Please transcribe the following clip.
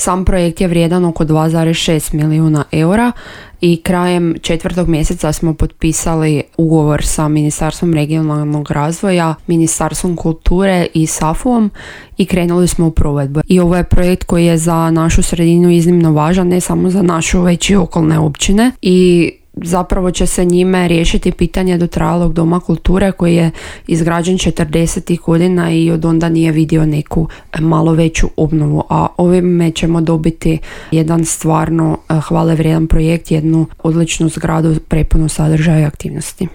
Sam projekt je vrijedan oko 2,6 milijuna eura i krajem 4. mjeseca smo potpisali ugovor sa Ministarstvom regionalnog razvoja, Ministarstvom kulture i SAFU-om i krenuli smo u provedbu. I ovo je projekt koji je za našu sredinu iznimno važan, ne samo za našu već i okolne općine, i zapravo će se njime riješiti pitanje dotrajalog doma kulture koji je izgrađen 40. godina i od onda nije vidio neku malo veću obnovu, a ovime ćemo dobiti jedan stvarno hvale vrijedan projekt, jednu odličnu zgradu prepunu sadržaja i aktivnosti.